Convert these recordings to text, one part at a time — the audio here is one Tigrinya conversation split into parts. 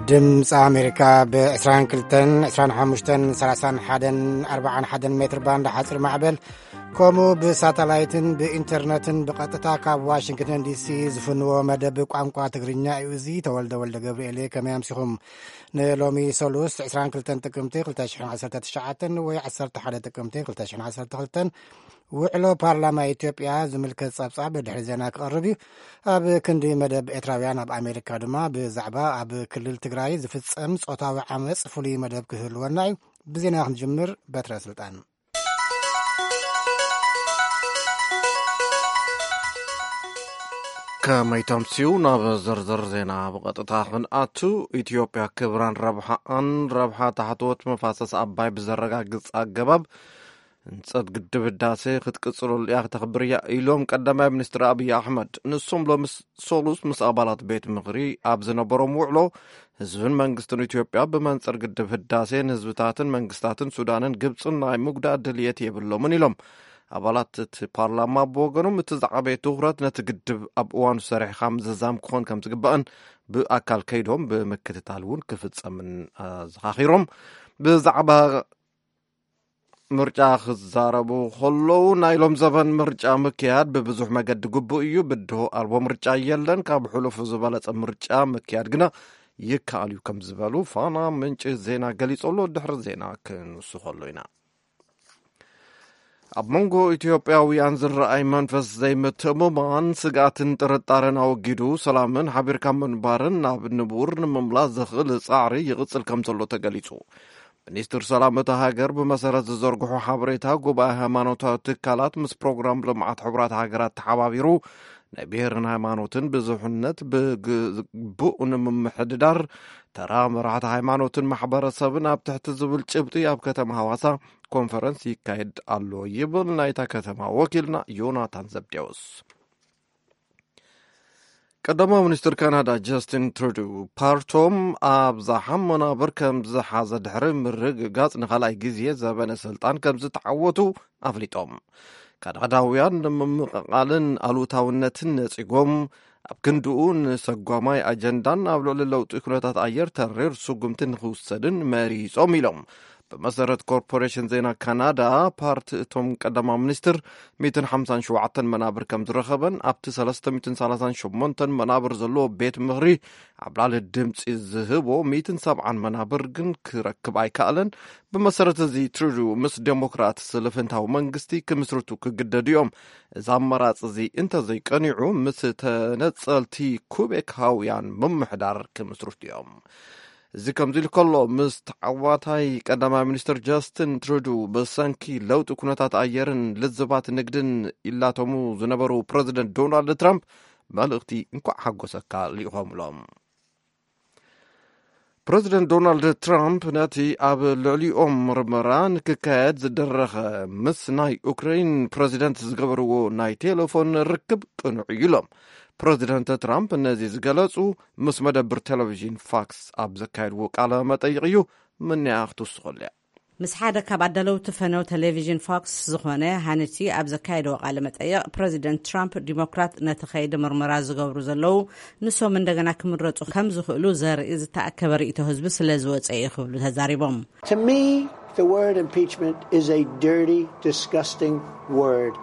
ድምፂ ኣሜሪካ ብ22፣ 25፣ 31፣ 41 ሜትር ባንድ ሓፂር ማዕበል፣ ከምኡ ብሳተላይትን ብኢንተርነትን ብቐጥታ ካብ ዋሽንግተን ዲሲ ዝፍንዎ መደብ ቋንቋ ትግርኛ እዩ። እዚ ተወልደ ወልደ ገብርኤል እየ። ከመይ ኣምሲኹም? ንሎሚ ሰሉስ 22 ጥቅምቲ 2019 ወይ 11 ጥቅምቲ 2012 ውዕሎ ፓርላማ ኢትዮጵያ ዝምልከት ጸብጻብ ድሕሪ ዜና ክቐርብ እዩ። ኣብ ክንዲ መደብ ኤርትራውያን ኣብ ኣሜሪካ ድማ ብዛዕባ ኣብ ክልል ትግራይ ዝፍጸም ጾታዊ ዓመጽ ፍሉይ መደብ ክህልወና እዩ። ብዜና ክንጅምር በትረ ስልጣን። ከመይ ተምስዩ? ናብ ዝርዝር ዜና ብቐጥታ ክንኣቱ። ኢትዮጵያ ክብራን ረብሓኣን ረብሓ ታሕተዎት መፋሰስ ኣባይ ብዘረጋግጽ ኣገባብ ህንጸት ግድብ ህዳሴ ክትቅጽለሉ እያ፣ ክተኽብር እያ ኢሎም ቀዳማይ ሚኒስትር ኣብይ ኣሕመድ። ንሶም ሎሚ ሰሉስ ምስ ኣባላት ቤት ምኽሪ ኣብ ዝነበሮም ውዕሎ ህዝብን መንግስትን ኢትዮጵያ ብመንጽር ግድብ ህዳሴ ንህዝብታትን መንግስታትን ሱዳንን ግብጽን ናይ ምጉዳእ ድልየት የብሎምን ኢሎም። ኣባላት እቲ ፓርላማ ብወገኖም እቲ ዝዓበየ ትኹረት ነቲ ግድብ ኣብ እዋኑ ሰሪሕኻ ምዝዛም ክኾን ከም ዝግባእን ብኣካል ከይዶም ብምክትታል እውን ክፍጸምን ኣዘኻኺሮም። ብዛዕባ ምርጫ ክዛረቡ ከለዉ ናይ ሎም ዘበን ምርጫ ምክያድ ብብዙሕ መገዲ ግቡእ እዩ። ብድሆ ኣልቦ ምርጫ የለን። ካብ ሕሉፉ ዝበለጸ ምርጫ ምክያድ ግና ይከኣል እዩ ከም ዝበሉ ፋና ምንጪ ዜና ገሊጹ ኣሎ። ድሕሪ ዜና ክንውስኸሉ ኢና። ኣብ መንጎ ኢትዮጵያውያን ዝረኣይ መንፈስ ዘይምትእምማን፣ ስግኣትን ጥርጣረን ኣወጊዱ ሰላምን ሓቢርካ ምንባርን ናብ ንቡር ንምምላስ ዘኽእል ጻዕሪ ይቕጽል ከም ዘሎ ተገሊጹ። ሚኒስትር ሰላም እታ ሃገር ብመሰረት ዝዘርግሑ ሓበሬታ፣ ጉባኤ ሃይማኖታዊ ትካላት ምስ ፕሮግራም ልምዓት ሕቡራት ሃገራት ተሓባቢሩ ናይ ብሔርን ሃይማኖትን ብዙሕነት ብግቡእ ንምምሕድዳር ተራ መራሕቲ ሃይማኖትን ማሕበረሰብን ኣብ ትሕቲ ዝብል ጭብጢ ኣብ ከተማ ሃዋሳ ኮንፈረንስ ይካየድ ኣሎ ይብል ናይታ ከተማ ወኪልና ዮናታን ዘብዴዎስ። ቀዳማዊ ሚኒስትር ካናዳ ጃስቲን ትሩዱ ፓርቶም ኣብዝሓ መናብር ከም ዝሓዘ ድሕሪ ምርግጋጽ ንኻልኣይ ግዜ ዘበነ ስልጣን ከም ዝተዓወቱ ኣፍሊጦም። ካናዳውያን ንምምቕቓልን ኣሉታውነትን ነጺጎም ኣብ ክንድኡ ንሰጓማይ ኣጀንዳን ኣብ ልዕሊ ለውጢ ኩነታት ኣየር ተሪር ስጉምቲ ንኽውሰድን መሪጾም ኢሎም። ብመሰረት ኮርፖሬሽን ዜና ካናዳ ፓርቲ እቶም ቀዳማዊ ሚኒስትር 157 መናብር ከም ዝረኸበን ኣብቲ 338 መናብር ዘለዎ ቤት ምኽሪ ኣብ ላዕሊ ድምፂ ዝህቦ 170 መናብር ግን ክረክብ ኣይከኣለን። ብመሰረት እዚ ትሩዱ ምስ ዴሞክራት ስልፍንታዊ መንግስቲ ክምስርቱ ክግደዱ እዮም። እዚ ኣማራፂ እዚ እንተዘይቀኒዑ ምስ ተነፀልቲ ኩቤካውያን ምምሕዳር ክምስርቱ እዮም። እዚ ከምዚ ኢሉ ከሎ ምስ ተዓዋታይ ቀዳማይ ሚኒስትር ጃስቲን ትሩዱ ብሰንኪ ለውጢ ኩነታት ኣየርን ልዝባት ንግድን ይላተሙ ዝነበሩ ፕረዚደንት ዶናልድ ትራምፕ መልእኽቲ እንኳዕ ሓጎሰካ ልኢኾምሎም። ፕረዚደንት ዶናልድ ትራምፕ ነቲ ኣብ ልዕሊኦም ምርመራ ንክካየድ ዝደረኸ ምስ ናይ ኡክራይን ፕረዚደንት ዝገበርዎ ናይ ቴሌፎን ርክብ ቅኑዕ እዩ ኢሎም። ፕረዚደንት ትራምፕ ነዚ ዝገለጹ ምስ መደብር ቴሌቪዥን ፋክስ ኣብ ዘካየድዎ ቃለ መጠይቕ እዩ። ምንያ ክትውስኸሉ እያ። ምስ ሓደ ካብ ኣዳለውቲ ፈነው ቴሌቪዥን ፎክስ ዝኾነ ሃነቲ ኣብ ዘካየደዎ ቃለ መጠይቕ፣ ፕረዚደንት ትራምፕ ዲሞክራት ነቲ ከይዲ ምርመራ ዝገብሩ ዘለዉ ንሶም እንደገና ክምረፁ ከም ዝኽእሉ ዘርኢ ዝተኣከበ ርእይቶ ህዝቢ ስለ ዝወፀ እዩ ክብሉ ተዛሪቦም። To me, the word impeachment is a dirty, disgusting word.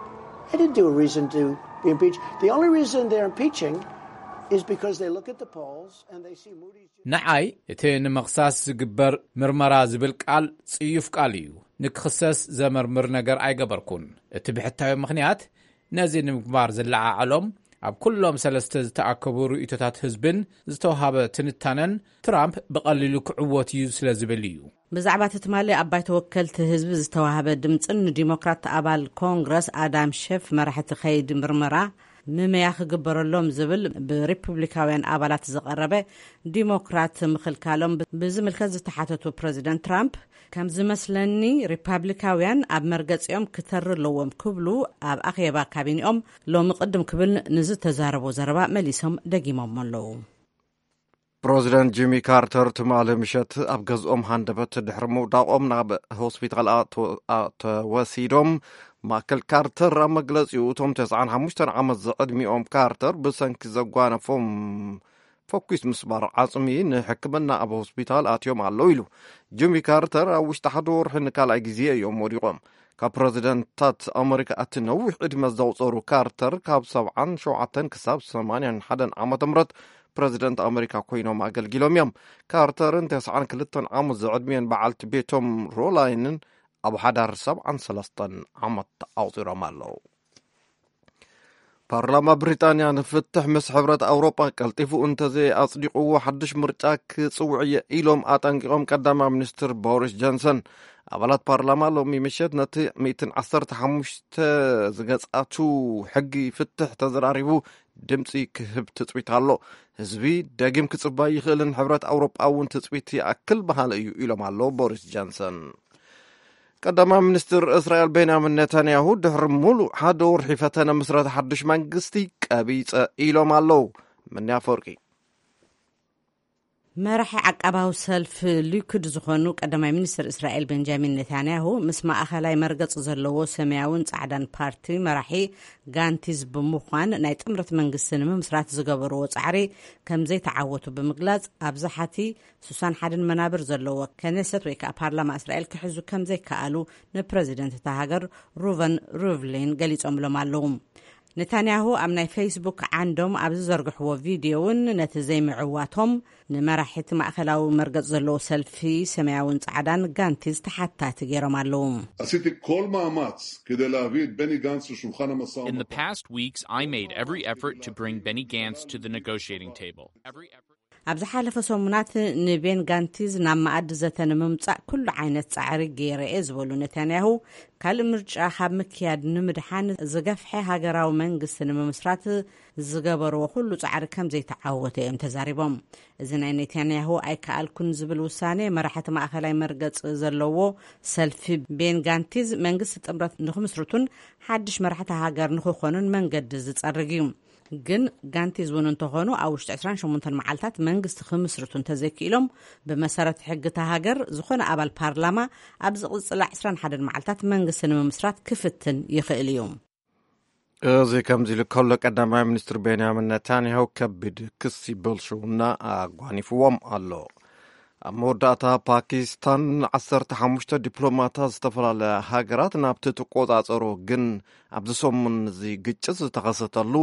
I didn't do a reason to be impeached. The only reason they're impeaching is because they look at the polls and they see Moody's. ንዓይ እቲ ንምኽሳስ ዝግበር ምርመራ ዝብል ቃል ጽዩፍ ቃል እዩ። ንክኽሰስ ዘመርምር ነገር ኣይገበርኩን። እቲ ብሕታዊ ምኽንያት ነዚ ንምግባር ዝለዓዓሎም ኣብ ኩሎም ሰለስተ ዝተኣከቡ ርእይቶታት ህዝብን ዝተዋሃበ ትንታነን ትራምፕ ብቐሊሉ ክዕወት እዩ ስለ ዝብል እዩ። ብዛዕባ እቲ ትማሊ ኣብ ባይቶ ወከልቲ ህዝቢ ዝተዋሃበ ድምፅን ንዲሞክራት ኣባል ኮንግረስ ኣዳም ሸፍ መራሕቲ ከይዲ ምርመራ ምመያ ክግበረሎም ዝብል ብሪፑብሊካውያን ኣባላት ዝቐረበ ዲሞክራት ምኽልካሎም ብዝምልከት ዝተሓተቱ ፕረዚደንት ትራምፕ፣ ከም ዝመስለኒ ሪፓብሊካውያን ኣብ መርገፂኦም ክተሪ ኣለዎም ክብሉ ኣብ ኣኼባ ካቢኒኦም ሎሚ ቅድም ክብል ንዝተዛረቦ ዘረባ መሊሶም ደጊሞም ኣለዉ። ፕረዚደንት ጂሚ ካርተር ትማሊ ምሸት ኣብ ገዝኦም ሃንደበት ድሕሪ ምውዳቖም ናብ ሆስፒታል ኣተ- ኣተወሲዶም። ማይክል ካርተር ኣብ መግለጺኡ፣ እቶም 95 ዓመት ዝዕድሚኦም ካርተር ብሰንኪ ዘጓነፎም ፈኲስ ምስባር ዓጽሚ ንሕክምና ኣብ ሆስፒታል ኣትዮም ኣለዉ ኢሉ። ጂሚ ካርተር ኣብ ውሽጢ ሓደ ወርሒ ንካልኣይ ግዜ እዮም ወዲቖም። ካብ ፕረዚደንታት ኣመሪካ እቲ ነዊሕ ዕድመ ዘቑጸሩ ካርተር ካብ ሰብዓን ሸውዓተን ክሳብ ሰማንያን ሓደን ዓመተ ምህረት ፕረዚደንት ኣመሪካ ኮይኖም ኣገልጊሎም እዮም። ካርተርን ተስዓን ክልተን ዓመት ዝዕድሚኦን በዓልቲ ቤቶም ሮላይንን ኣብ ሓዳር ሰብዓን ሰለስተን ዓመት ኣቑጺሮም ኣለዉ። ፓርላማ ብሪጣንያ ንፍትሕ ምስ ሕብረት ኣውሮጳ ቀልጢፉ እንተዘይኣጽዲቕዎ ሓድሽ ምርጫ ክጽውዕ እየ ኢሎም ኣጠንቂቖም ቀዳማይ ሚኒስትር ቦሪስ ጆንሰን። ኣባላት ፓርላማ ሎሚ ምሸት ነቲ ሚእትን ዓሰርተ ሓሙሽተ ዝገጻቱ ሕጊ ፍትሕ ተዘራሪቡ ድምጺ ክህብ ትጽቢት ኣሎ። ህዝቢ ደጊም ክጽበ ይኽእልን ሕብረት ኣውሮጳ እውን ትጽቢት ይኣክል በሃሊ እዩ ኢሎም ኣሎ ቦሪስ ጆንሰን። ቀዳማይ ሚኒስትር እስራኤል ቤንያሚን ኔታንያሁ ድሕሪ ሙሉእ ሓደ ወርሒ ፈተነ ምስረታ ሓድሽ መንግስቲ ቀቢጸ ኢሎም ኣለዉ። ምንያ ኣፈወርቂ። መራሒ ዓቃባዊ ሰልፊ ሊኩድ ዝኾኑ ቀዳማይ ሚኒስትር እስራኤል ቤንጃሚን ኔታንያሁ ምስ ማእኸላይ መርገጺ ዘለዎ ሰማያውን ጻዕዳን ፓርቲ መራሒ ጋንቲዝ ብምዃን ናይ ጥምረት መንግስቲ ንምምስራት ዝገበርዎ ጻዕሪ ከም ዘይተዓወቱ ብምግላጽ፣ ኣብ ዝሓቲ ሱሳን ሓደን መናብር ዘለዎ ከነሰት ወይ ከዓ ፓርላማ እስራኤል ክሕዙ ከም ዘይከኣሉ ንፕረዚደንት እታ ሃገር ሩቨን ሩቭሊን ገሊጾምሎም ኣለዉ። ኔታንያሁ ኣብ ናይ ፌስቡክ ዓንዶም ኣብ ዝዘርግሕዎ ቪድዮ እውን ነቲ ዘይምዕዋቶም ንመራሒቲ ማእኸላዊ መርገጽ ዘለዎ ሰልፊ ሰማያውን ጻዕዳን ጋንቲዝ ተሓታቲ ገይሮም ኣለዉ። עשיתי כל מאמץ כדי להביא את בני גנץ לשולחן המשא In the ומתן. Past weeks, I made every effort to bring Benny Gantz to the negotiating table. Every effort. ኣብ ዝሓለፈ ሰሙናት ንቤን ጋንቲዝ ናብ መኣዲ ዘተ ንምምጻእ ኩሉ ዓይነት ጻዕሪ ገይረ እየ ዝበሉ ነታንያሁ፣ ካልእ ምርጫ ካብ ምክያድ ንምድሓን ዝገፍሐ ሃገራዊ መንግስቲ ንምምስራት ዝገበርዎ ኩሉ ጻዕሪ ከም ዘይተዓወተ እዮም ተዛሪቦም። እዚ ናይ ኔታንያሁ ኣይከኣልኩን ዝብል ውሳኔ መራሕቲ ማእኸላይ መርገጽ ዘለዎ ሰልፊ ቤን ጋንቲዝ መንግስቲ ጥምረት ንኽምስርቱን ሓድሽ መራሕቲ ሃገር ንኽኾኑን መንገዲ ዝጸርግ እዩ። ግን ጋንቲዝ እውን እንተኾኑ ኣብ ውሽጢ ዕስራን ሸሞንተን መዓልታት መንግስቲ ክምስርቱ እንተዘይክኢሎም፣ ብመሰረት ሕጊ እታ ሃገር ዝኾነ ኣባል ፓርላማ ኣብ ዝቕጽላ ዕስራን ሓደን መዓልታት መንግስቲ ንምምስራት ክፍትን ይኽእል እዩ። እዚ ከምዚ ኢሉ ከሎ፣ ቀዳማይ ሚኒስትር ቤንያሚን ነታንያሁ ከቢድ ክሲ ብልሽውና ኣጓኒፍዎም ኣሎ። ኣብ መወዳእታ፣ ፓኪስታን ዓሰርተ ሓሙሽተ ዲፕሎማታት ዝተፈላለያ ሃገራት ናብቲ ትቆጻጸሮ ግን ኣብዚ ሰሙን እዚ ግጭት ዝተኸሰተሉ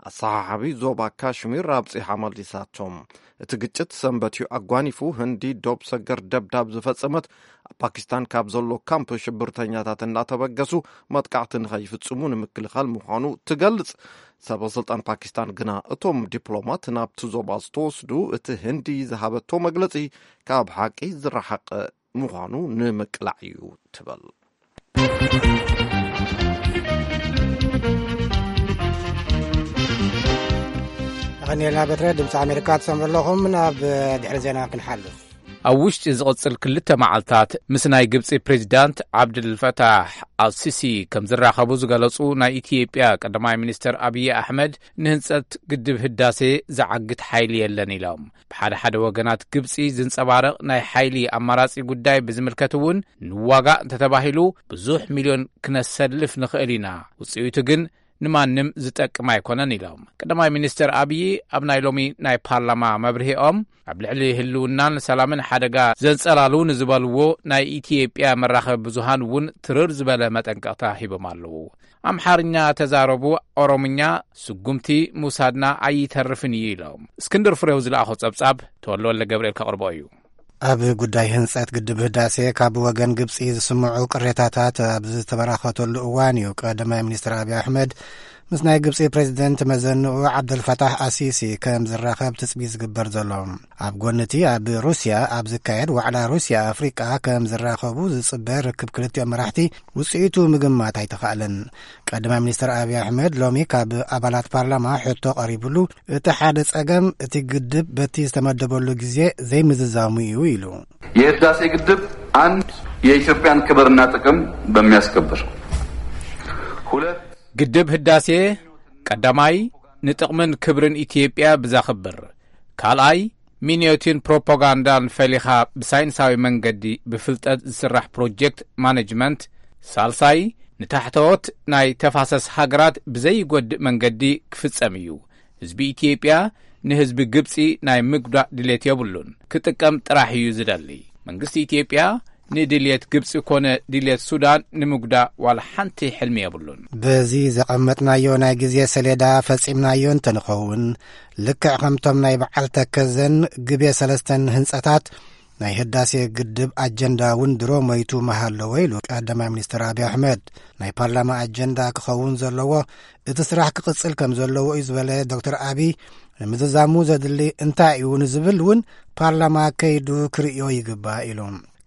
ኣሰሓሓቢ ዞባ ካሽሚር ኣብጺሓ መሊሳቶም። እቲ ግጭት ሰንበት እዩ ኣጓኒፉ። ህንዲ ዶብ ሰገር ደብዳብ ዝፈጸመት ኣብ ፓኪስታን ካብ ዘሎ ካምፕ ሽብርተኛታት እናተበገሱ መጥቃዕቲ ንኸይፍጽሙ ንምክልኻል ምዃኑ ትገልጽ። ሰበ ስልጣን ፓኪስታን ግና እቶም ዲፕሎማት ናብቲ ዞባ ዝተወስዱ እቲ ህንዲ ዝሃበቶ መግለጺ ካብ ሓቂ ዝረሓቐ ምዃኑ ንምቅላዕ እዩ ትብል። ኣቐኒልና በትረ ድምፂ ኣሜሪካ ትሰምዑ ኣለኹም። ናብ ድሕሪ ዜና ክንሓልፍ። ኣብ ውሽጢ ዝቕጽል ክልተ መዓልታት ምስ ናይ ግብጺ ፕሬዚዳንት ዓብድልፈታሕ ኣልሲሲ ከም ዝራኸቡ ዝገለጹ ናይ ኢትዮጵያ ቀዳማይ ሚኒስትር ኣብዪ ኣሕመድ፣ ንህንጸት ግድብ ህዳሴ ዝዓግት ሓይሊ የለን ኢሎም። ብሓደ ሓደ ወገናት ግብጺ ዝንጸባረቕ ናይ ሓይሊ ኣማራጺ ጉዳይ ብዝምልከት እውን፣ ንዋጋእ እንተተባሂሉ ብዙሕ ሚልዮን ክነሰልፍ ንኽእል ኢና፣ ውጽኢቱ ግን ንማንም ዝጠቅም ኣይኮነን ኢሎም። ቀዳማይ ሚኒስትር ኣብዪ ኣብ ናይ ሎሚ ናይ ፓርላማ መብርሂኦም፣ ኣብ ልዕሊ ህልውናን ሰላምን ሓደጋ ዘንጸላሉ ንዝበልዎ ናይ ኢትዮጵያ መራኸቢ ብዙሃን እውን ትርር ዝበለ መጠንቀቕታ ሂቦም ኣለዉ። ኣምሓርኛ ተዛረቡ፣ ኦሮምኛ ስጉምቲ ምውሳድና ኣይተርፍን እዩ ኢሎም። እስክንድር ፍሬው ዝለኣኾ ጸብጻብ ተወልደ ወልደ ገብርኤል ከቕርቦ እዩ። ኣብ ጉዳይ ህንጸት ግድብ ህዳሴ ካብ ወገን ግብጺ ዝስምዑ ቅሬታታት ኣብ ዝተበራኸተሉ እዋን እዩ ቀዳማይ ሚኒስትር ኣብዪ ኣሕመድ ምስ ናይ ግብጺ ፕሬዚደንት መዘንኡ ዓብደልፈታሕ ኣሲሲ ከም ዝራኸብ ትጽቢት ዝግበር ዘሎ። ኣብ ጎኒ እቲ ኣብ ሩስያ ኣብ ዝካየድ ዋዕላ ሩስያ ኣፍሪቃ ከም ዝራኸቡ ዝጽበ ርክብ ክልቲኦም መራሕቲ ውጽኢቱ ምግማት ኣይተኻእለን። ቀዳማይ ሚኒስትር ኣብዪ ኣሕመድ ሎሚ ካብ ኣባላት ፓርላማ ሕቶ ቀሪብሉ፣ እቲ ሓደ ጸገም እቲ ግድብ በቲ ዝተመደበሉ ግዜ ዘይምዝዛሙ እዩ ኢሉ። የህዳሴ ግድብ አንድ የኢትዮጵያን ክብርና ጥቅም በሚያስከብር፣ ሁለት ግድብ ህዳሴ ቀዳማይ ንጥቕምን ክብርን ኢትዮጵያ ብዘኽብር፣ ካልኣይ ምንዮትን ፕሮፓጋንዳን ፈሊኻ ብሳይንሳዊ መንገዲ ብፍልጠት ዝስራሕ ፕሮጀክት ማነጅመንት፣ ሳልሳይ ንታሕተዎት ናይ ተፋሰስ ሃገራት ብዘይጎድእ መንገዲ ክፍጸም እዩ። ህዝቢ ኢትዮጵያ ንህዝቢ ግብጺ ናይ ምጉዳእ ድሌት የብሉን። ክጥቀም ጥራሕ እዩ ዝደሊ። መንግስቲ ኢትዮጵያ ንድልየት ግብጺ ኮነ ድልየት ሱዳን ንምጉዳእ ዋላ ሓንቲ ሕልሚ የብሉን። በዚ ዘቐመጥናዮ ናይ ግዜ ሰሌዳ ፈጺምናዮ እንተንኸውን፣ ልክዕ ከምቶም ናይ በዓል ተከዘን ግቤ ሰለስተን ህንጸታት ናይ ህዳሴ ግድብ ኣጀንዳ እውን ድሮ ሞይቱ ምሃለዎ ኢሉ ቀዳማይ ሚኒስትር ኣብይ ኣሕመድ። ናይ ፓርላማ ኣጀንዳ ክኸውን ዘለዎ፣ እቲ ስራሕ ክቕጽል ከም ዘለዎ እዩ ዝበለ ዶክተር ኣብይ፣ ንምዝዛሙ ዘድሊ እንታይ እዩ ንዝብል እውን ፓርላማ ከይዱ ክርእዮ ይግባእ ኢሉ።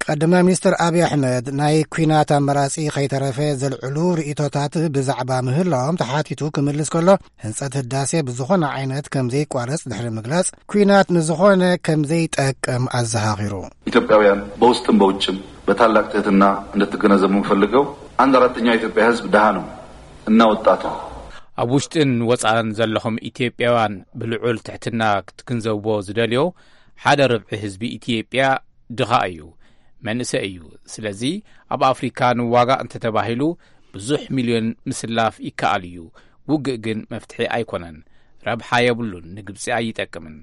ቀዳማይ ሚኒስትር ኣብይ ኣሕመድ ናይ ኲናት ኣመራጺ ከይተረፈ ዘልዕሉ ርእይቶታት ብዛዕባ ምህላዎም ተሓቲቱ ክምልስ ከሎ፣ ህንጸት ህዳሴ ብዝኾነ ዓይነት ከም ዘይቋረጽ ድሕሪ ምግላጽ፣ ኲናት ንዝኾነ ከም ዘይጠቅም ኣዘኻኺሩ። ኢትዮጵያውያን በውስጥም በውጭም በታላቅ ትህትና እንድትገነዘቡ የምፈልገው፣ አንድ አራተኛው የኢትዮጵያ ህዝብ ድሃ ነው እና ወጣት ነው። ኣብ ውሽጥን ወጻእን ዘለኹም ኢትዮጵያውያን ብልዑል ትሕትና ክትግንዘብዎ ዝደልዮ፣ ሓደ ርብዒ ህዝቢ ኢትዮጵያ ድኻ እዩ፣ መንእሰይ እዩ። ስለዚ ኣብ ኣፍሪካ ንዋጋእ እንተተባሂሉ ብዙሕ ሚልዮን ምስላፍ ይከኣል እዩ። ውግእ ግን መፍትሒ ኣይኮነን። ረብሓ የብሉን። ንግብጺ ኣይጠቅምን፣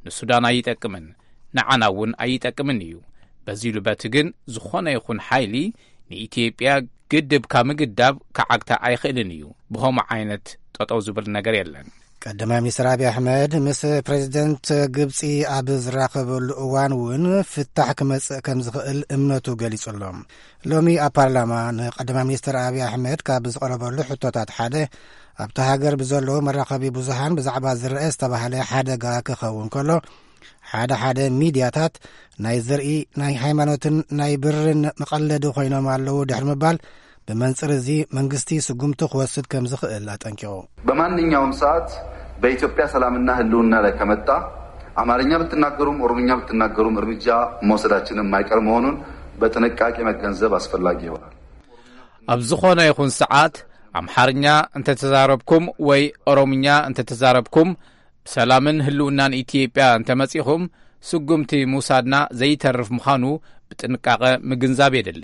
ንሱዳን ኣይጠቅምን፣ ንዓና እውን ኣይጠቅምን እዩ። በዚሉ በቲ ግን ዝኾነ ይኹን ሓይሊ ንኢትዮጵያ ግድብ ካብ ምግዳብ ክዓግታ ኣይኽእልን እዩ። ብኸምኡ ዓይነት ጠጠው ዝብል ነገር የለን። ቀዳማይ ሚኒስትር ኣብይ ኣሕመድ ምስ ፕሬዚደንት ግብጺ ኣብ ዝራኸበሉ እዋን እውን ፍታሕ ክመጽእ ከም ዝኽእል እምነቱ ገሊጹ ኣሎ። ሎሚ ኣብ ፓርላማ ንቀዳማይ ሚኒስትር ኣብይ ኣሕመድ ካብ ዝቐረበሉ ሕቶታት ሓደ፣ ኣብታ ሃገር ብዘለዉ መራኸቢ ብዙሃን ብዛዕባ ዝረአ ዝተባህለ ሓደጋ ክኸውን ከሎ፣ ሓደ ሓደ ሚድያታት ናይ ዘርኢ፣ ናይ ሃይማኖትን ናይ ብርን መቐለዲ ኮይኖም ኣለዉ ድሕሪ ምባል፣ ብመንጽር እዚ መንግስቲ ስጉምቲ ክወስድ ከም ዝኽእል ኣጠንቂቑ። በማንኛውም ሰዓት በኢትዮጵያ ሰላምና ህልውና ላይ ከመጣ አማርኛ ብትናገሩም ኦሮምኛ ብትናገሩም እርምጃ መውሰዳችን የማይቀር መሆኑን በጥንቃቄ መገንዘብ አስፈላጊ ይሆናል። ኣብ ዝኾነ ይኹን ሰዓት ኣምሓርኛ እንተተዛረብኩም ወይ ኦሮምኛ እንተተዛረብኩም፣ ሰላምን ህልውናን ኢትዮጵያ እንተመጺኹም፣ ስጉምቲ ምውሳድና ዘይተርፍ ምዃኑ ብጥንቃቐ ምግንዛብ የድሊ።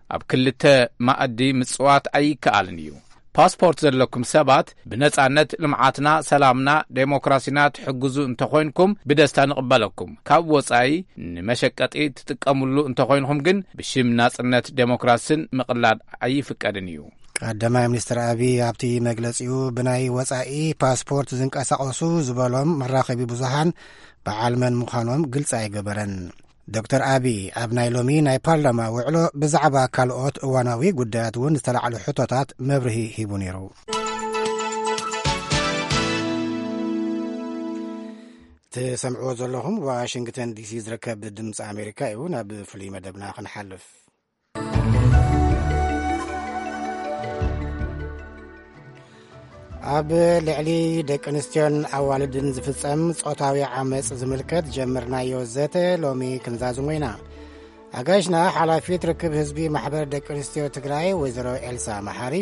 ኣብ ክልተ ማእዲ ምጽዋት ኣይከኣልን እዩ። ፓስፖርት ዘለኩም ሰባት ብነጻነት ልምዓትና፣ ሰላምና፣ ዴሞክራሲና ትሕግዙ እንተኾይንኩም ብደስታ ንቕበለኩም። ካብ ወጻኢ ንመሸቀጢ ትጥቀምሉ እንተኾይንኹም ግን ብሽም ናጽነት ዴሞክራስን ምቕላድ ኣይፍቀድን እዩ። ቀዳማይ ሚኒስትር ኣብይ ኣብቲ መግለጺኡ ብናይ ወጻኢ ፓስፖርት ዝንቀሳቐሱ ዝበሎም መራኸቢ ብዙሃን በዓል መን ምዃኖም ግልጺ ኣይገበረን። ዶክተር ኣብይ ኣብ ናይ ሎሚ ናይ ፓርላማ ውዕሎ ብዛዕባ ካልኦት እዋናዊ ጉዳያት እውን ዝተላዕሉ ሕቶታት መብርሂ ሂቡ ነይሩ። ትሰምዕዎ ዘለኹም ዋሽንግተን ዲሲ ዝርከብ ድምፂ ኣሜሪካ እዩ። ናብ ፍሉይ መደብና ክንሓልፍ፣ ኣብ ልዕሊ ደቂ ኣንስትዮን ኣዋልድን ዝፍጸም ጾታዊ ዓመጽ ዝምልከት ጀምርናዮ ዘተ ሎሚ ክንዛዝሞ ኢና። ኣጋይሽና ሓላፊት ርክብ ህዝቢ ማሕበር ደቂ ኣንስትዮ ትግራይ ወይዘሮ ኤልሳ መሓሪ፣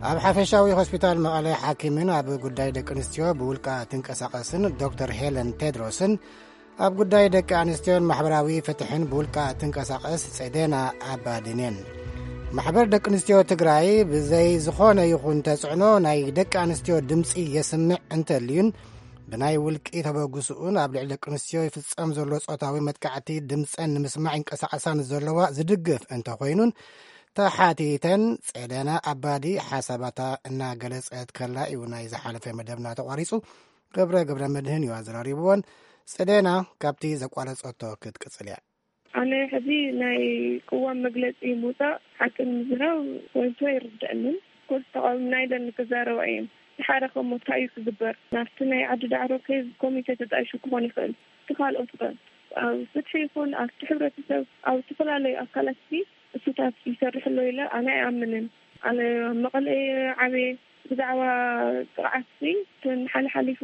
ኣብ ሓፈሻዊ ሆስፒታል መቐለ ሓኪምን ኣብ ጉዳይ ደቂ ኣንስትዮ ብውልቃ ትንቀሳቐስን ዶክተር ሄለን ቴድሮስን፣ ኣብ ጉዳይ ደቂ ኣንስትዮን ማሕበራዊ ፍትሕን ብውልቃ ትንቀሳቐስ ጼዴና ኣባዲን እየን። ማሕበር ደቂ ኣንስትዮ ትግራይ ብዘይ ዝኾነ ይኹን ተጽዕኖ ናይ ደቂ ኣንስትዮ ድምጺ የስምዕ እንተልዩን፣ ብናይ ውልቂ ተበግስኡን ኣብ ልዕሊ ደቂ ኣንስትዮ ይፍጸም ዘሎ ጾታዊ መጥቃዕቲ ድምጸን ንምስማዕ ይንቀሳቐሳ ንዘለዋ ዝድግፍ እንተኾይኑን፣ ተሓቲተን ጼዴና ኣባዲ ሓሳባታ እናገለጸት ከላ እዩ ናይ ዝሓለፈ መደብና ተቋሪጹ። ገብረ ገብረ መድህን እዩ ኣዘራሪብዎን። ጸደና ካብቲ ዘቋረጸቶ ክትቅጽል እያ። ኣነ ሕዚ ናይ ቅዋም መግለጺ ምውጻእ ሓቂ ንምዝራብ ወይንቶ ኣይርድአንን። ኮርስ ተቃዊምና ኢለን ክዛረባ እየን። ድሓረ ከሞ እንታይ እዩ ክግበር? ናብቲ ናይ ዓዲ ዳዕሮ ኬዝ ኮሚቴ ተጣይሹ ክኾን ይኽእል። እቲ ካልኦት ከ? ኣብ ፍትሒ ይኹን ኣብቲ ሕብረተሰብ ኣብ ዝተፈላለዩ ኣካላት ሲ እሱታት ይሰርሕ ኣሎ ኢለ ኣነ ኣይኣምንን። ኣነ ኣብ መቐለ እየ ዓብየ። ብዛዕባ ጥቕዓት ሲ እተን ሓለሓሊፉ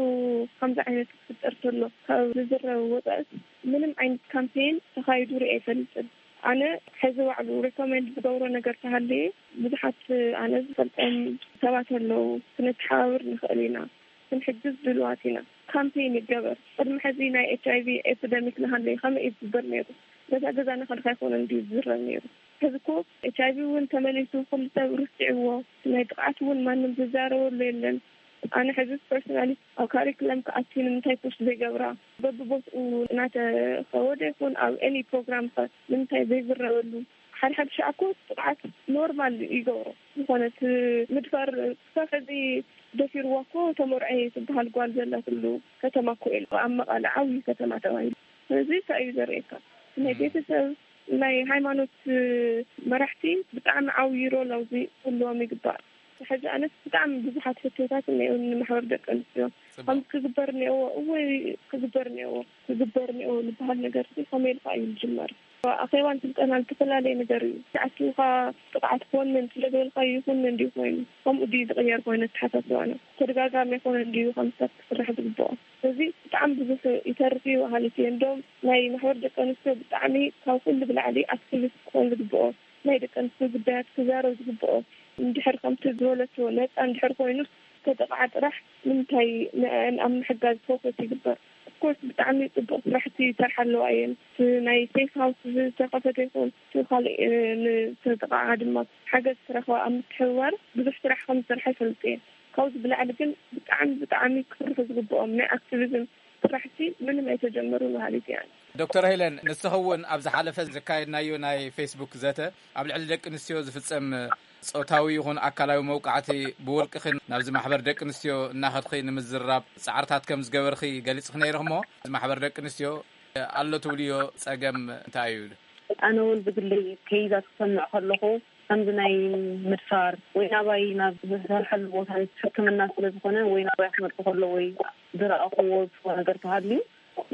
ከምዚ ዓይነት ክፍጠር ተሎ ካብ ዝዝረብ ወፃእስ ምንም ዓይነት ካምፔን ተኻይዱ ርኢ ኣይፈልጥን። ኣነ ሕዚ ባዕሉ ሪኮሜንድ ዝገብሮ ነገር ተሃለየ ብዙሓት ኣነ ዝፈልጦም ሰባት ኣለዉ። ክንተሓባብር ንኽእል ኢና፣ ክንሕግዝ ድልዋት ኢና። ካምፔን ይገበር። ቅድሚ ሕዚ ናይ ኤች ኣይ ቪ ኤፒደሚክ ንሃለየ ከመይ እዩ ዝግበር ነይሩ? ገዛ ገዛ ንኸድካ ኣይኮነን ድዩ ዝዝረብ ነይሩ? ሕዚ እኮ ኤች ኣይ ቪ እውን ተመሊሱ ኩሉ ሰብ ርስዕዎ፣ ናይ ጥቕዓት እውን ማንም ዝዛረበሉ የለን። ኣነ ሕዚ ፐርሶናሊ ኣብ ካሪክለም ክኣቲ ንምንታይ ፖስት ዘይገብራ፣ በብቦትኡ እናተኸወደ ይኹን ኣብ ኤኒ ፕሮግራም ከ ንምንታይ ዘይዝረበሉ? ሓደ ሓደ ሻዕ እኮ ጥቕዓት ኖርማል ይገብሮ። ዝኾነት ምድፋር ክሳብ ሕዚ ደፊርዋ እኮ ተመርዐ ትበሃል ጓል ዘላትሉ ከተማ እኮ እዩ ኣብ መቐለ ዓብዪ ከተማ ተባሂሉ። ስለዚ እንታይ እዩ ዘርእየካ? ናይ ቤተሰብ ናይ ሃይማኖት መራሕቲ ብጣዕሚ ዓብዪ ሮል ኣብዚ ክህልዎም ይግባእ። ሕዚ ኣነስ ብጣዕሚ ብዙሓት ሕቶታት እኒአው ንማሕበር ደቂ ኣንስትዮ። ከም ክግበር እኒአዎ እወ ክግበር እኒአዎ ክግበር እኒአዎ ዝበሃል ነገር ሲ ከመይ ኢልካ እዩ ዝጅመር? ኣኼባን ስልጠና ዝተፈላለየ ነገር እዩ። ኣኪብካ ጥቕዓት ክወንን ስለ ዝበልካዩ ይኹንን ድዩ ኮይኑ? ከምኡ ድዩ ዝቕየር ኮይኑ ኣተሓሳስባና? ተደጋጋሚ ኣይኮነን ድዩ ከም ሰብ ክስራሕ ዝግብኦ? እዚ ብጣዕሚ ብዙሕ ይተርፍ እዩ በሃሊት እየ። እንዶም ናይ ማሕበር ደቂ ኣንስትዮ ብጣዕሚ ካብ ኩሉ ብላዕሊ ኣክቲቪስት ክኾን ዝግብኦ፣ ናይ ደቂ ኣንስትዮ ጉዳያት ክዛረብ ዝግብኦ፣ እንድሕር ከምቲ ዝበለቶ ነፃ እንድሕር ኮይኑ ተጠቕዓ ጥራሕ ንምንታይ ንኣን ኣብ ምሕጋዝ ፎከስ ይግበር? ኦፍኮርስ ብጣዕሚ ፅቡቕ ስራሕቲ ይሰርሓ ኣለዋ እየን። እቲ ናይ ሴፍ ሃውስ ዝተኸፈተ ይኹን እቲ ካልእ ንዝተጠቕዓ ድማ ሓገዝ ክረኽባ ኣብ ምትሕብባር ብዙሕ ስራሕ ከም ዝሰርሓ ይፈልጥ እየ። ካብዚ ብላዕሊ ግን ብጣዕሚ ብጣዕሚ ክስርሑ ዝግብኦም ናይ ኣክቲቪዝም ስራሕቲ ምንም ኣይተጀመሩ በሃሊት እያ። ዶክተር ሄለን፣ ንስኺ እውን ኣብ ዝሓለፈ ዘካየድናዮ ናይ ፌስቡክ ዘተ ኣብ ልዕሊ ደቂ ኣንስትዮ ዝፍጸም ጾታዊ ይኹን ኣካላዊ መውቃዕቲ ብውልቅኽን ናብዚ ማሕበር ደቂ ኣንስትዮ እናኸድኺ ንምዝራብ ጻዕርታት ከም ዝገበርኺ ገሊጽኺ ነይርኺ። እሞ እዚ ማሕበር ደቂ ኣንስትዮ ኣሎ ትብልዮ ጸገም እንታይ እዩ? ኣነ እውን ብግለይ ከይዛት ክሰምዕ ከለኹ ከምዚ ናይ ምድፋር ወይ ናባይ ናብ ዝሰርሐሉ ቦታ ሕክምና ስለ ዝኾነ ወይ ናባይ ክመጽእ ከሎ ወይ ዝረኣኹዎ ዝኮ ነገር ተሃልዩ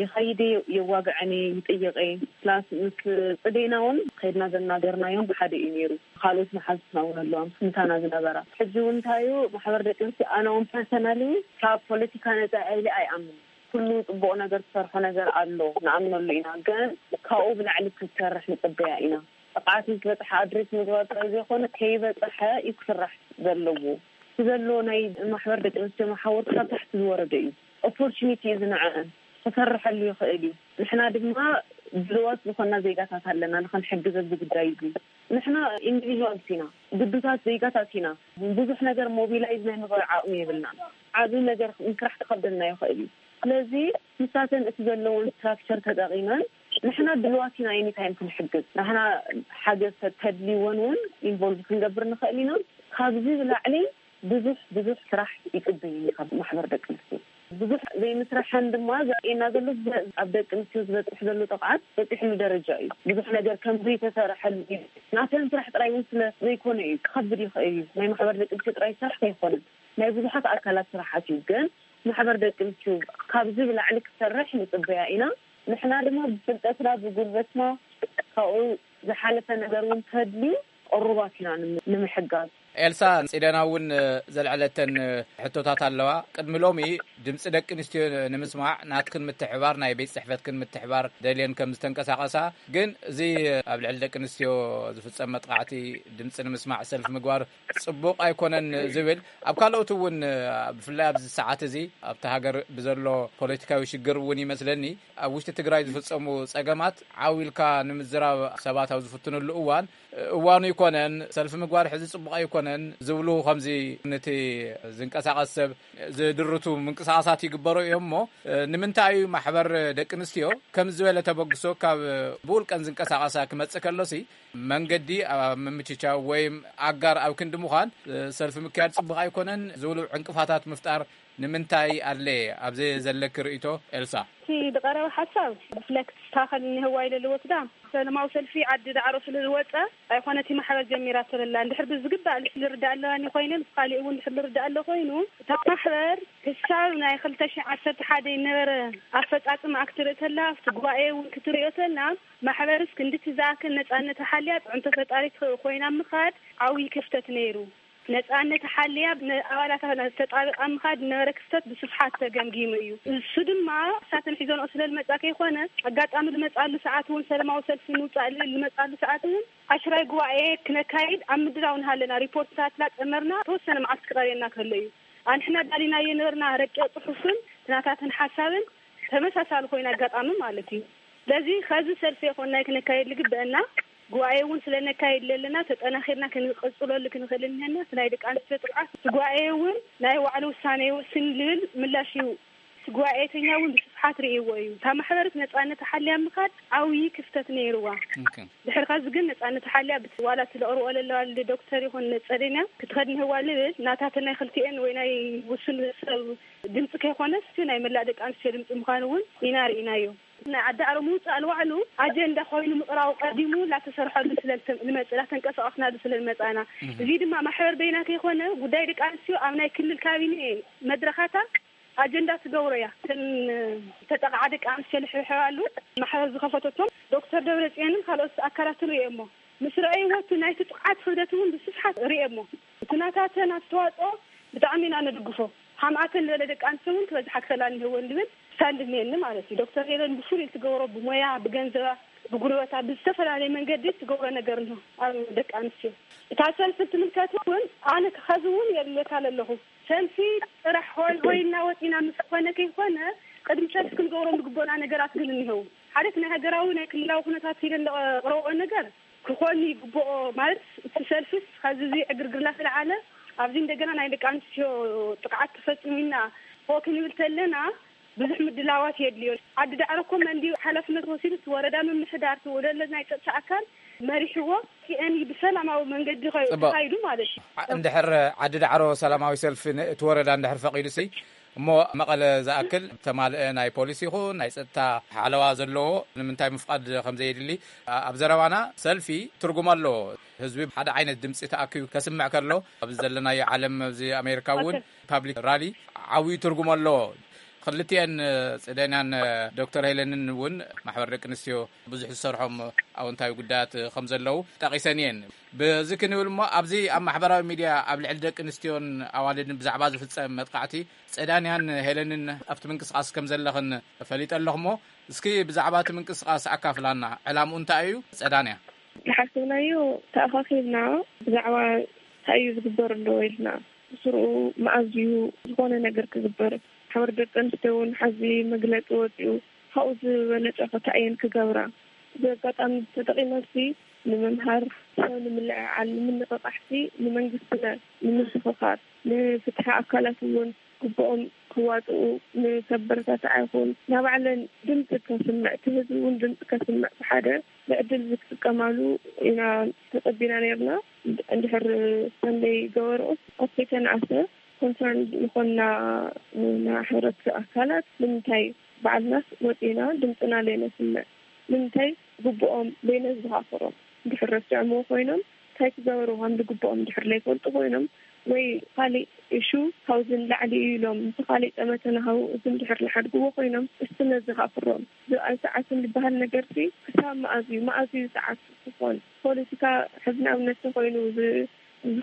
ይኸይድ የዋግዐኒ ይጥይቀ ፕላስ ምስ ጽዴና እውን ከይድና ዘናገርናዮም ብሓደ እዩ ነይሩ። ካልኦት መሓዝትና እውን ኣለዋ ምስ ምሳና ዝነበራ። ሕጂ እውን እንታይ እዩ ማሕበር ደቂ ኣንስትዮ ኣነ እውን ፐርሰናሊ ካብ ፖለቲካ ነፃ ኢለ ኣይኣምን። ኩሉ ጽቡቕ ነገር ትሰርሖ ነገር ኣሎ ንኣምነሉ ኢና፣ ግን ካብኡ ብላዕሊ ክትሰርሕ ንጽበያ ኢና። ጥቕዓት ምስ በጽሓ ኣድሬስ ምግባር ጥራይ ዘይኮነ ከይበጽሐ እዩ ክስራሕ ዘለዎ። እቲ ዘሎ ናይ ማሕበር ደቂ ኣንስትዮ መሓውር ካብ ታሕቲ ዝወረደ እዩ። ኦፖርቹኒቲ እዩ ዝንዕአን ክሰርሐሉ ይኽእል እዩ። ንሕና ድማ ድልዋት ዝኾና ዜጋታት ኣለና ንኽንሕግዝ ኣብዚ ጉዳይ እዚ። ንሕና ኢንዲቪዥዋልስ ኢና፣ ግዱሳት ዜጋታት ኢና። ብዙሕ ነገር ሞቢላይዝ ናይ ምግባር ዓቕሚ የብልና። ዓቢ ነገር ምስራሕ ክኸብደና ይኽእል እዩ። ስለዚ ንሳተን እቲ ዘለውን ስትራክቸር ተጠቒመን ንሕና ድልዋት ኢና ኤኒታይም ክንሕግዝ። ንሕና ሓገዝ ተድልይወን እውን ኢንቮልቭ ክንገብር ንኽእል ኢና። ካብዚ ብላዕሊ ብዙሕ ብዙሕ ስራሕ ይጽበየኒ ካብ ማሕበር ደቂ ኣንስትዮ። ብዙሕ ዘይምስራሐን ድማ ዘርእየና ዘሎ ኣብ ደቂ ኣንስትዮ ዝበጽሕ ዘሎ ጥቕዓት በጺሕሉ ደረጃ እዩ። ብዙሕ ነገር ከም ዘይተሰርሐሉ እዩ። ናተን ስራሕ ጥራይ እውን ስለ ዘይኮነ እዩ ክኸብድ ይኽእል እዩ። ናይ ማሕበር ደቂ ኣንስትዮ ጥራይ ስራሕ ኣይኮነን፣ ናይ ብዙሓት ኣካላት ስራሓት እዩ። ግን ማሕበር ደቂ ኣንስትዮ ካብዚ ብላዕሊ ክሰርሕ ንጽበያ ኢና። ንሕና ድማ ብፍልጠትና ብጉልበትና ካብኡ ዝሓለፈ ነገር እውን ተድልዩ ቅሩባት ኢና ንም- ንምሕጋዝ። ኤልሳ፣ ጽደና እውን ዘልዐለተን ሕቶታት ኣለዋ። ቅድሚ ሎሚ ድምፂ ደቂ ኣንስትዮ ንምስማዕ ናትክን ምትሕባር ናይ ቤት ጽሕፈትክን ምትሕባር ደልየን ከም ዝተንቀሳቐሳ፣ ግን እዚ ኣብ ልዕሊ ደቂ ኣንስትዮ ዝፍጸም መጥቃዕቲ ድምፂ ንምስማዕ ሰልፊ ምግባር ጽቡቕ ኣይኮነን ዝብል፣ ኣብ ካልኦት እውን ብፍላይ ኣብዚ ሰዓት እዚ ኣብቲ ሃገር ብዘሎ ፖለቲካዊ ሽግር እውን ይመስለኒ ኣብ ውሽጢ ትግራይ ዝፍጸሙ ጸገማት ዓው ኢልካ ንምዝራብ ሰባት ኣብ ዝፍትንሉ እዋን፣ እዋኑ ይኮነን፣ ሰልፊ ምግባር ሕዚ ጽቡቕ ኣይኮነን ዝብሉ ከምዚ ነቲ ዝንቀሳቐስ ሰብ ዝድርቱ ምንቅስቃሳት ይግበሩ እዮም። እሞ ንምንታይ እዩ ማሕበር ደቂ ኣንስትዮ ከም ዝበለ ተበግሶ ካብ ብውልቀን ዝንቀሳቐሳ ክመጽእ ከሎሲ መንገዲ ኣብ ምምችቻው ወይ ኣጋር ኣብ ክንዲ ምዃን ሰልፊ ምክያድ ጽቡቕ ኣይኮነን ዝብሉ ዕንቅፋታት ምፍጣር ንምንታይ ኣድለየ? ኣብዚ ዘለኪ ርእይቶ ኤልሳ። እቲ ዝቐረበ ሓሳብ ሪፍሌክት ታኸል እኒህዋ ኢለ ልወስዳ። ሰለማዊ ሰልፊ ዓዲ ዳዕሮ ስለ ዝወፀ ኣይኮነ እቲ ማሕበር ጀሚራ ተለላ። እንድሕር ብዝግባእ ልርዳእ ኣለዋኒ ኮይነ ምስ ካሊእ እውን እንድሕር ልርዳእ ኣሎ ኮይኑ እታ ማሕበር ክሳብ ናይ ክልተ ሺሕ ዓሰርተ ሓደ ይነበረ ኣፈፃፅማ ክትርኢ ተላ ኣብቲ ጉባኤ እውን ክትሪኦ ተላ ማሕበርስ ክንድቲ ዝኣክል ነፃነት ሓልያ ፅዕንቶ ፈጣሪት ኮይና ምኻድ ዓብዪ ክፍተት ነይሩ። ነፃነት ሓልያ ንኣባላታ ተጣበቃ ምኻድ ዝነበረ ክፍተት ብስፍሓት ተገምጊሙ እዩ። እሱ ድማ እሳተን ሒዞንኦ ስለ ዝመፃ ከይኮነ ኣጋጣሚ ዝመፃሉ ሰዓት እውን ሰለማዊ ሰልፊ ምውፃእ ልብል ዝመፃሉ ሰዓት እውን ዓሽራይ ጉባኤ ክነካይድ ኣብ ምድላው ንሃለና ሪፖርትታትና ጠመርና ተወሰነ መዓልቲ ክቐርየና ከሎ እዩ። ኣንሕና ዳሊናዮ ነበርና ረቂቕ ፅሑፍን ትናታትን ሓሳብን ተመሳሳሊ ኮይና ኣጋጣሚ ማለት እዩ። ስለዚ ከዚ ሰልፊ ይኾን ናይ ክነካየድ ዝግበአና ጉባኤ እውን ስለ ነካይድ ዘለና ተጠናኺርና ክንቅፅለሉ ክንኽእል እንሄና። እቲ ናይ ደቂ ኣንስትዮ ጥቕዓት እቲ ጉባኤ እውን ናይ ባዕሉ ውሳነ ይወስን ዝብል ምላሽ እዩ። እቲ ጉባኤተኛ እውን ብስፍሓት ርእይዎ እዩ። እታ ማሕበረት ነፃነት ሓልያ ምኻድ ዓብዪ ክፍተት ነይርዋ። ድሕሪ ካዚ ግን ነፃነት ሓልያ ብት-፣ ዋላ እቲ ለቕርኦ ለለዋ ዶክተር ይኹን ጸደንያ ክትኸድ ንህዋ ልብል ናታተ ናይ ክልቲኤን ወይ ናይ ውሱን ሰብ ድምፂ ከይኮነስ ናይ መላእ ደቂ ኣንስትዮ ድምፂ ምዃኑ እውን ኢና ርኢናዮ። ናይ ዓዲ ዓሮ ምውፃእ ንባዕሉ ኣጀንዳ ኮይኑ ምቕራቡ ቀዲሙ ላተሰርሐሉ ስለ ልመፅ-፣ ላተንቀሳቐስናሉ ስለ ልመፃና። እዚ ድማ ማሕበር በይና ከይኮነ ጉዳይ ደቂ ኣንስትዮ ኣብ ናይ ክልል ካቢኔ መድረኻታ ኣጀንዳ ትገብሮ እያ። እተን ተጠቕዓ ደቂ ኣንስትዮ ልሕብሕባሉ ማሕበር ዝኸፈተቶም ዶክተር ደብረፅዮንን ካልኦት ኣካላትን ርእየሞ ምስ ረኣይዎ እቲ ናይቲ ጥቕዓት ክብደት እውን ብስፍሓት ርእየሞ። እቲ ናታተን ኣስተዋፅኦ ብጣዕሚ ኢና ንድግፎ። ሓምኣተን ዝበለ ደቂ ኣንስትዮ እውን ክበዝሓ ክኽእላ እኒህወን ዝብል ስታንድ እኒሀኒ ማለት እዩ። ዶክተር ሄለን ብፍሉይ ትገብሮ ብሞያ፣ ብገንዘባ፣ ብጉልበታ፣ ብዝተፈላለየ መንገዲ ትገብሮ ነገር ኣሎ ኣብ ደቂ ኣንስትዮ። እታ ሰልፊ ትምልከት እውን ኣነ ከዚ እውን የድልየካ ኣለኹ። ሰልፊ ጥራሕ ሆይ ሆይ እናወፂና ምስ ኮነ ከይኮነ ቅድሚ ሰልፊ ክንገብሮም ዝግበና ነገራት ግን እኒሀው። ሓደ እቲ ናይ ሃገራዊ ናይ ክልላዊ ኩነታት ኢለን ዘቕረብኦ ነገር ክኾን ይግብኦ። ማለት እቲ ሰልፊስ ከዚ እዚ ዕግርግር እናተለዓለ ኣብዚ እንደገና ናይ ደቂ ኣንስትዮ ጥቕዓት ተፈፂሙና ሆ ክንብል ተለና ብዙሕ ምድላዋት የድልዮ። ዓዲ ዳዕሮ እኮ መን ድዩ ሓላፍነት ወሲዱ እቲ ወረዳ ምምሕዳር እቲ ወደለ ናይ ፀጥታ ኣካል መሪሕዎ ቲኤን ብሰላማዊ መንገዲ ከ-፣ ጽቡቕ። ተኻይዱ ማለት እዩ። ዓ-፣ እንድሕር ዓዲ ዳዕሮ ሰላማዊ ሰልፊ ን-፣ እቲ ወረዳ እንድሕር ፈቒዱሲ እሞ መቐለ ዝኣክል ተማልአ ናይ ፖሊስ ይኹን ናይ ጸጥታ ሓለዋ ዘለዎ ንምንታይ ምፍቓድ ከም ዘየድሊ ኣ-፣ ኣብ ዘረባና ሰልፊ ትርጉም ኣለዎ። ህዝቢ ሓደ ዓይነት ድምጺ ተኣኪቡ ከስምዕ ከሎ ኣብዚ ዘለናዮ ዓለም ኣብዚ ኣሜሪካ እውን ኦኬ። ፓብሊክ ራሊ ዓብዩ ትርጉም ኣለዎ። ክልቲኤን ጽደንያን ዶክተር ሄለንን እውን ማሕበር ደቂ ኣንስትዮ ብዙሕ ዝሰርሖም ኣወንታዊ ጉዳያት ከም ዘለዉ ጠቒሰን እየን። በዚ ክንብል እሞ ኣብዚ ኣብ ማሕበራዊ ሚድያ ኣብ ልዕሊ ደቂ ኣንስትዮን ኣዋልድን ብዛዕባ ዝፍጸም መጥቃዕቲ ጽዳንያን ሄለንን ኣብቲ ምንቅስቓስ ከም ዘለኽን ፈሊጠ ኣለኹ እሞ እስኪ ብዛዕባ እቲ ምንቅስቓስ ኣካፍላና። ዕላምኡ እንታይ እዩ? ጸዳንያ። ዝሓሰብናዮ ተኣኻኺብና ብዛዕባ እንታይ እዩ ዝግበር ኣሎ ኢልና ብስርኡ መኣዝዩ ዝኾነ ነገር ክግበር ማሕበር ደቂ ኣንስትዮ እውን ሓዚ መግለፂ ወፂኡ ካብኡ ዝበለፀ ከ እንታይ እየን ክገብራ? እዚ ኣጋጣሚ ተጠቒመሲ ንምምሃር፣ ሰብ ንምልዕዓል፣ ንምንቕቓሕሲ ንመንግስትና ንምስኽኻር፣ ንፍትሒ ኣካላት እውን ግቡኦም ክዋፅኡ ንከበረታትዓ ይኹን ናባዕለን ድምፂ ከስምዕ እቲ ህዝቢ እውን ድምፂ ከስምዕ ብሓደ ብዕድል ዝጥቀማሉ ኢና ተፀቢና ነርና። እንድሕር ሰንደይ ገበርኦስ ኣስተይተንኣሰ ኮንሰርን ዝኾንና ንሕብረት ኣካላት ንምንታይ ባዕልናስ ወፂና ድምፅና ለይነስምዕ? ንምንታይ ግቡኦም ለይነዝኻኽሮም? እንድሕር ረሲዖምዎ ኮይኖም እንታይ ክገበሩ ከም ዝግብኦም እንድሕር ለይፈልጡ ኮይኖም ወይ ካሊእ ኢሹ ካብዚ ንላዕሊ እዩ ኢሎም ምስ ካሊእ ጠመተ ንሃው እዚ እንድሕር ዝሓድግዎ ኮይኖም እስቲ ነዝኻኽሮም። ዝብኣል ሰዓትን ዝበሃል ነገርሲ ክሳብ መኣዝ እዩ? መኣዝ እዩ ሰዓት ክኾን? ፖለቲካ ሕዚ ንኣብነት ተኮይኑ እዚ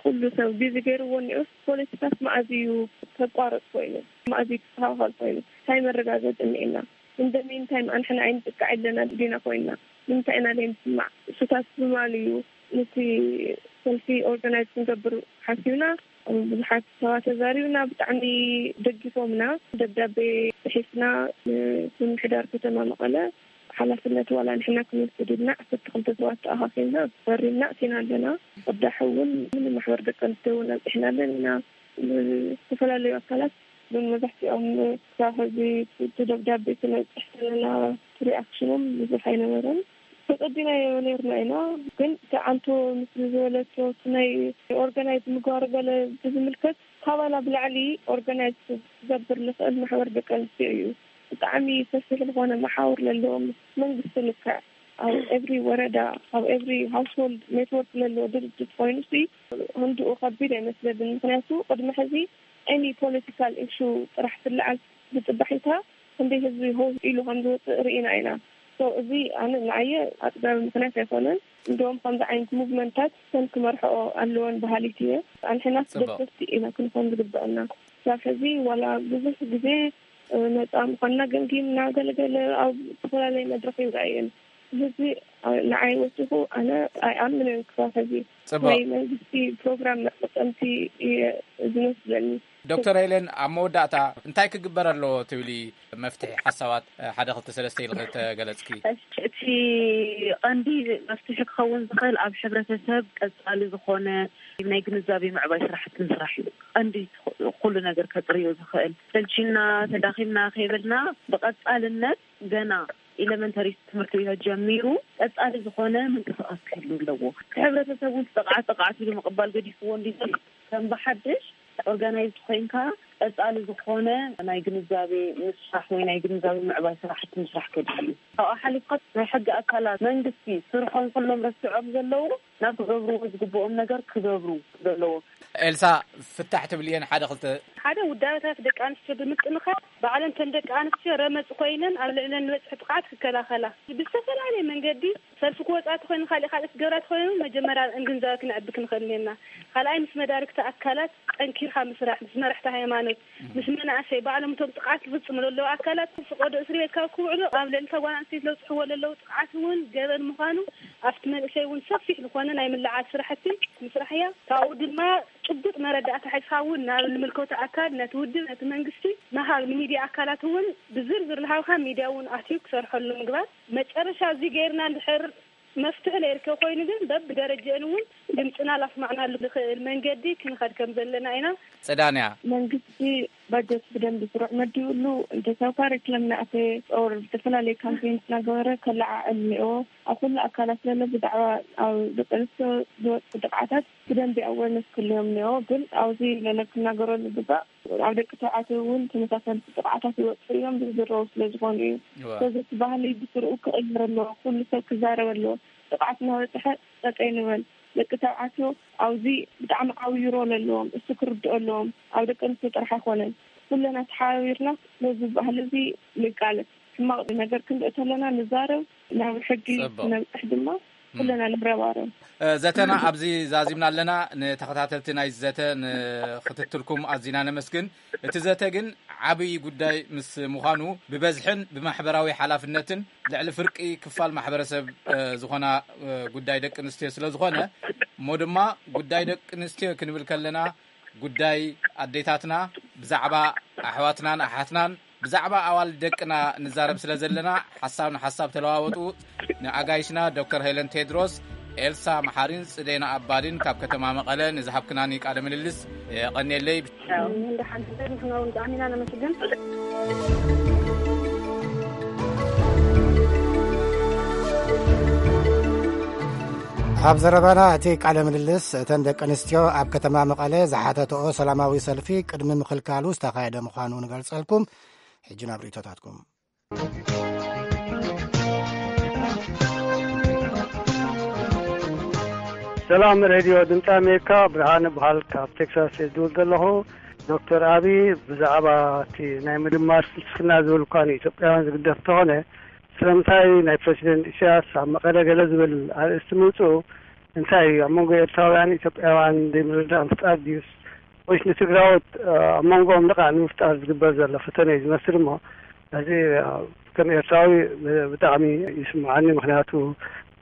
ኩሉ ሰብ ቢዚ ገይርዎ እኒኦስ ፖለቲካስ መኣዝ እዩ ከቋርፅ ኮይኑ? መኣዝ እዩ ክስተኻኸል ኮይኑ? እንታይ መረጋገፂ እኒኤና? እንደሚንታይም ኣንሕና ኣይንጥቃዕ ኣለና ዲና ኮይንና ንምንታይ ኢና ዘይንስማዕ? እሱታት ብምባል እዩ ነቲ ሰልፊ ኦርጋናይዝ ክንገብር ሓሲብና። ብዙሓት ሰባት ተዛሪብና ብጣዕሚ ደጊፎምና። ደብዳቤ ፅሒፍና ንምምሕዳር ከተማ መቐለ ሓላፍነት ዋላ ንሕና ክንወስድ ኢልና ዓሰርተ ክልተ ሰባት ተኣኻኺብና ፈሪምና ኣቲና ኣለና። ቅዳሕ እውን ማሕበር ደቂ ኣንስትዮ እውን ኣብፂሕና ኣለና። ዝተፈላለዩ ኣካላት ግን መብዛሕትኦም ክሳብ ሕዚ እቲ ደብዳቤ ክነብፅሕ ከለና እቲ ሪኣክሽኖም ብዙሕ ኣይነበረን። ተፀቢናዮ ነርና ኢና ግን እቲ ዓንቶ ምስ ዝበለቶ እቲ ናይ ኦርጋናይዝ ምግባር ገለ ብዝምልከት ካባና ብላዕሊ ኦርጋናይዝ ክገብር ዝኽእል ማሕበር ደቂ ኣንስትዮ እዩ። ብጣዕሚ ሰፊሕ ዝኾነ መሓውር ለለዎም መንግስቲ ልክዕ ኣብ ኤቭሪ ወረዳ ኣብ ኤቭሪ ሃውስሆልድ ኔትወርክ ለለዎ ድርጅት ኮይኑ ሲ ክንድኡ ከቢድ ኣይመስለብን። ምክንያቱ ቅድሚ ሕዚ ኤኒ ፖለቲካል ኢሹ ጥራሕ ትለዓል ብፅባሒታ ክንደይ ህዝቢ ሆ ኢሉ ከም ዝወፅእ ርኢና ኢና። ሶ እዚ ኣነ ንዓየ ኣፅጋቢ ምክንያት ኣይኮነን። እንደውም ከምዚ ዓይነት ሙቭመንታት ሰን ክመርሐኦ ኣለወን በሃሊት እየ። ኣንሕናስ ደገፍቲ ኢና ክንኾን ዝግበአና። ክሳብ ሕዚ ዋላ ብዙሕ ግዜ ነፃ ምኳንና ገምጊምና ገለገለ ኣብ ዝተፈላለየ መድረክ ይረኣየን። ህዝቢ ንዓይ ወሲኹ ኣነ ኣይኣምንን ክሳብ ሕዚ ናይ መንግስቲ ፕሮግራም መጠቀምቲ እየ ዝመስለኒ። ዶክተር ሄለን፣ ኣብ መወዳእታ እንታይ ክግበር ኣለዎ ትብሊ? መፍትሒ ሓሳባት፣ እ፣ ሓደ ክልተ ሰለስተ ኢልኺ ተገለጽኪ። እሺ፣ እቲ ቀንዲ መፍትሒ ክኸውን ዝኽእል ኣብ ሕብረተሰብ ቀጻሊ ዝኾነ ናይ ግንዛቤ ምዕባይ ስራሕቲ ምስራሕ እዩ። ቀንዲ ኩሉ ነገር ከጥርዮ ዝኽእል፣ ሰልቺና፣ ተዳኺምና ከይበልና ብቐጻልነት ገና ኤለመንተሪ ትምህርቲ ጀሚሩ ቀጻሊ ዝኾነ ምንቅስቃስ ክህሉ ኣለዎ። እቲ ሕብረተሰብ እውን ጥቕዓት ጥቕዓት ኢሉ ምቕባል ገዲፍዎ እንዲ ዘሎ ከም ብሓድሽ ኦርጋናይዝድ ኮይንካ ቀጻሊ ዝኾነ ናይ ግንዛቤ ምስራሕ ወይ ናይ ግንዛቤ ምዕባይ ስራሕቲ ምስራሕ ከድሊ እዩ። ካብኡ ሓሊፍካ ናይ ሕጊ ኣካላት መንግስቲ ስርሖም ከሎም ረሲዖም ዘለዉ ናብ ክገብርዎ ዝግብኦም ነገር ክገብሩ ዘለዎ። ኤልሳ፣ ፍታሕ ትብልየን ሓደ ክልተ? ሓደ ውዳበታት ደቂ ኣንስትዮ ብምጥንኻር ባዕለን ተን ደቂ ኣንስትዮ ረመጽ ኮይነን ኣብ ልዕለን ዝበጽሕ ጥቕዓት ክከላኸላ ብዝተፈላለየ መንገዲ ሰልፊ ክወጻ ተኮይኑ ካልእ ካልእ ክገብራ ተኮይኑ መጀመርያ ግንዛበ ክንዕቢ ክንኽእል እኔና። ካልኣይ ምስ መዳርግቲ ኣካላት ጠንኪርካ ምስራሕ፣ ምስ መራሕቲ ሃይማኖት፣ ምስ መናእሰይ ባዕሎም እቶም ጥቕዓት ዝፍጽሙ ዘለዉ ኣካላት ፍቆዶ እስሪ ቤት ካብ ክውዕሉ ኣብ ልዕሊ እታ ጓል ኣንስተይቲ ለብጽሕዎ ዘለዉ ጥቕዓት እውን ገበን ምዃኑ ኣብቲ መንእሰይ እውን ሰፊሕ ዝኾነ ናይ ምልዓል ስራሕቲ ምስራሕ እያ። ካብኡ ድማ ጭቡጥ መረዳእታ ሒዝካ እውን ናብ ዝምልከቶ ኣካል ነቲ ውድብ ነቲ መንግስቲ ምሃብ ንሚድያ ኣካላት እውን ብዝርዝር ዝሃብካ ሚድያ እውን ኣትዩ ክሰርሐሉ ምግባር። መጨረሻ እዚ ገይርና እንድሕር መፍትሒ ለይርከብ ኮይኑ ግን በብደረጃን እውን ድምፅና ላስማዕናሉ ዝኽእል መንገዲ ክንኸድ ከም ዘለና ኢና። ጽዳንያ። መንግስቲ ባጀት ብደንብ ስሩዕ መዲብሉ እንተሰብ ካሪክለም ናእተ ኦር ዝተፈላለየ ካምፔን እናገበረ ከለዓዕል እኒኦ ኣብ ኩሉ ኣካላት ዘሎ ብዛዕባ ኣብ ደቂ ኣንስትዮ ዝወፅእ ጥቕዓታት ብደንብ ኣወርነስ ክልዮም እኒኦ ግን ኣብዚ ለለ ክናገረሉ ዝግባእ ኣብ ደቂ ተባዕትዮ እውን ተመሳሰልቲ ጥቕዓታት ይወፅኡ እዮም ዝዝረቡ ስለ ዝኾኑ እዩ። ስለዚ እቲ ባህሊ ብስርኡ ክቕየር ኣለዎ። ኩሉ ሰብ ክዛረብ ኣለዎ። ጥቕዓት እናበፅሐ ጠጠይ ንበል። ደቂ ተባዕትዮ ኣብዚ ብጣዕሚ ዓብዩ ሮል ኣለዎም። እሱ ክርድኦ ኣለዎም። ኣብ ደቂ ኣንስትዮ ጥራሕ ኣይኮነን። ኩለና ተሓባቢርና ነዚ ባህሊ እዚ ንቃለስ። ሕማቕ ነገር ክንርኢ ተለና ንዛረብ፣ ናብ ሕጊ ክነብፅሕ ድማ ኩለና ንረባረብ። ዘተና ኣብዚ ዛዚምና ኣለና። ንተኸታተልቲ ናይ ዘተ ንክትትልኩም ኣዚና ነመስግን። እቲ ዘተ ግን ዓብዪ ጉዳይ ምስ ምዃኑ ብበዝሕን ብማሕበራዊ ሓላፍነትን ልዕሊ ፍርቂ ክፋል ማሕበረሰብ ዝኾና ጉዳይ ደቂ ኣንስትዮ ስለ ዝኾነ እሞ ድማ ጉዳይ ደቂ ኣንስትዮ ክንብል ከለና ጉዳይ ኣዴታትና ብዛዕባ ኣሕዋትናን ኣሓትናን ብዛዕባ ኣዋልድ ደቅና ንዛረብ ስለ ዘለና ሓሳብ ንሓሳብ ተለዋወጡ። ንኣጋይሽና ዶክተር ሄለን ቴድሮስ፣ ኤልሳ መሓሪን ጽዴና ኣባድን ካብ ከተማ መቐለ ንዝሃብክናኒ ቃለ ምልልስ የቐንየለይ። ንሕና እውን ብጣዕሚ ኢና ነመስግን። ኣብ ዘረባና እቲ ቃለ ምልልስ እተን ደቂ ኣንስትዮ ኣብ ከተማ መቐለ ዝሓተተኦ ሰላማዊ ሰልፊ ቅድሚ ምኽልካሉ ዝተኻየደ ምዃኑ ንገልጸልኩም። ሕጂ ናብ ርእይቶታትኩም። ሰላም ሬድዮ ድምፂ ኣሜሪካ፣ ብርሃነ በሃል ካብ ቴክሳስ እየ ዝድውል ዘለኹ። ዶክተር ኣቢ ብዛዕባ እቲ ናይ ምድማር ፍልስፍና ዝብል እኳ ንኢትዮጵያውያን ዝግደፍ እንተኾነ ስለምንታይ ናይ ፕረሲደንት ኢሳያስ ኣብ መቐለ ገለ ዝብል ኣርእስቲ ምውፅኡ እንታይ እዩ ኣብ መንጎ ኤርትራውያን ኢትዮጵያውያን ዘይምርዳእ ምፍጣር ድዩስ ወይስ ንትግራዎት ኣብ መንጎኦም ልቓ ንምፍጣር ዝግበር ዘሎ ፈተነ እዩ ዝመስል እሞ እዚ ከም ኤርትራዊ ብጣዕሚ ይስምዓኒ። ምክንያቱ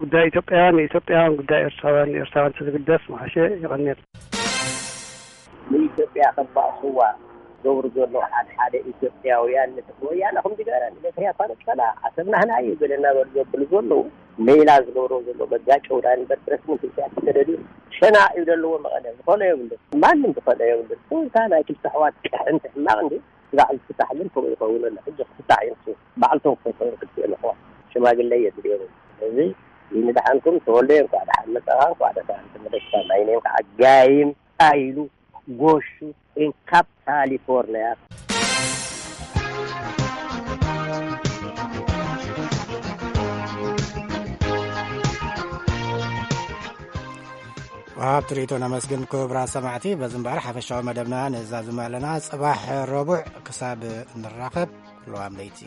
ጉዳይ ኢትዮጵያውያን ንኢትዮጵያውያን ጉዳይ ኤርትራውያን ንኤርትራውያን ስለዝግደፍ መሓሸ። ይቐንየል። ንኢትዮጵያ ከባእስዋ ገብሩ ዘሎ ሓደ ሓደ ኢትዮጵያውያን ንትሕቲ ወያነ ከምዚ ገይረ ንኤርትራ ነብሰላ ዓሰብ ናህና እዩ ገለና በሉ ዘብሉ ዘለዉ ሌላ ዝገብሮ ዘሎ በጋጨው ዳን በትረስን ኢትዮጵያ ተደልዩ ሸና እዩ ዘለዎ መቐለ ዝኸሎ የብሉ ማንም ዝኸሎ የብሉ። እንታ ናይ ክልተ ኣሕዋት ቅሕንቲ ሕማቕ እንዲ ስራሕ ዝፍታሕ ግን ከምኡ ይኸውን ኣሎ። ሕጂ ክፍታሕ እዩ ንሱ ባዕልቶም ክፈትሑ ክፍትኡ ኣለኹ ሽማግለ የድልዮም። ስለዚ ንድሓንኩም ተወልደ እንኳዕ ደሓን መጻኻ እንኳዕ ደሓን ተመለስካ ማይነይ ከዓ ጋይም ኢሉ ጎሹ እንካብ ካሊፎርኒያ። ኣብ ትርኢቶ ነመስግን ክቡራት ሰማዕቲ። በዚ እምበኣር ሓፈሻዊ መደብና ንዛዝም ኣለና። ጽባሕ ረቡዕ ክሳብ ንራኸብ፣ ለዋም ለይቲ።